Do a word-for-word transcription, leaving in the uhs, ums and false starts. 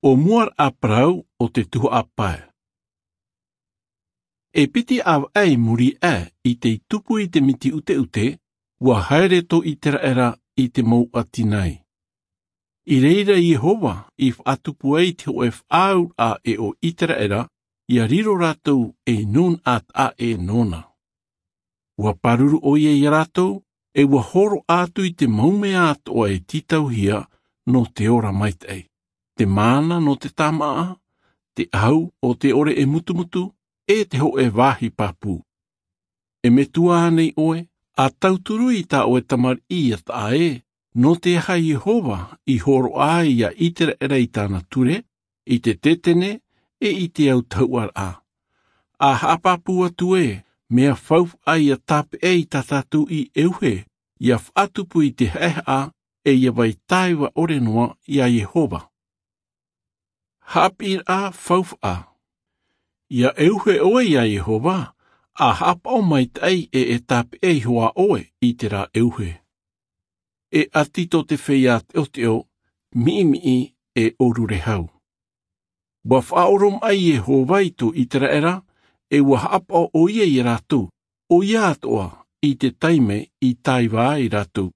ʻO mua raʻa parau o te tuhaʻa pae. E piti ʻāvaʻe i muri aʻe i te tupu i te miti ʻuteʻute, ua haere tō ʻIteraʻera i te mau ʻati nai. I reira Iehova i faʻatupu ai te hōʻē faʻaauraʻa e ʻo ʻIteraʻera, ʻia riro rātou ei nūnaʻa taʻa ʻē nōna. Ua pāruru ʻoia ia rātou, e ua hōroʻa atu i te mau mea atoʻa e tītauhia nō te ora maitaʻi, te māna nō te tāmāʻa, te ʻahu o te ʻore e mutumutu, e te hōʻē vāhi pāpū. E metua ānei ʻoe, ʻa tauturu i tā ʻoe tamariʻi ia taʻa ē, nō te aha Iehova i hōroʻa ai ia ʻIteraʻera i tāna ture, i te tetene, e i te autahuʻaraʻa? ʻA haʻapāpū atu ē, mea faufaʻa ia tāpeʻa i tā tātou i ʻeuhe, ʻia faʻatupu i te haʻehaʻa, e ʻia vai taiva ʻore noa ia Iehova. Haʻapiʻiraʻa faufaʻa. ʻIa ʻeuhe ʻoe ia Iehova, ʻa haʻapaʻo maitaʻi e e tāpeʻa iho ā ʻoe i terā ʻeuhe. E ʻati tō te feiā teʻoteʻo, miʻimiʻi, e ʻōrure hau. Ua faʻaoromaʻi Iehova i tō ʻIteraʻera, e ua haʻapaʻo ʻoia ia rātou, ʻoia atoʻa i te taime i taiva ai rātou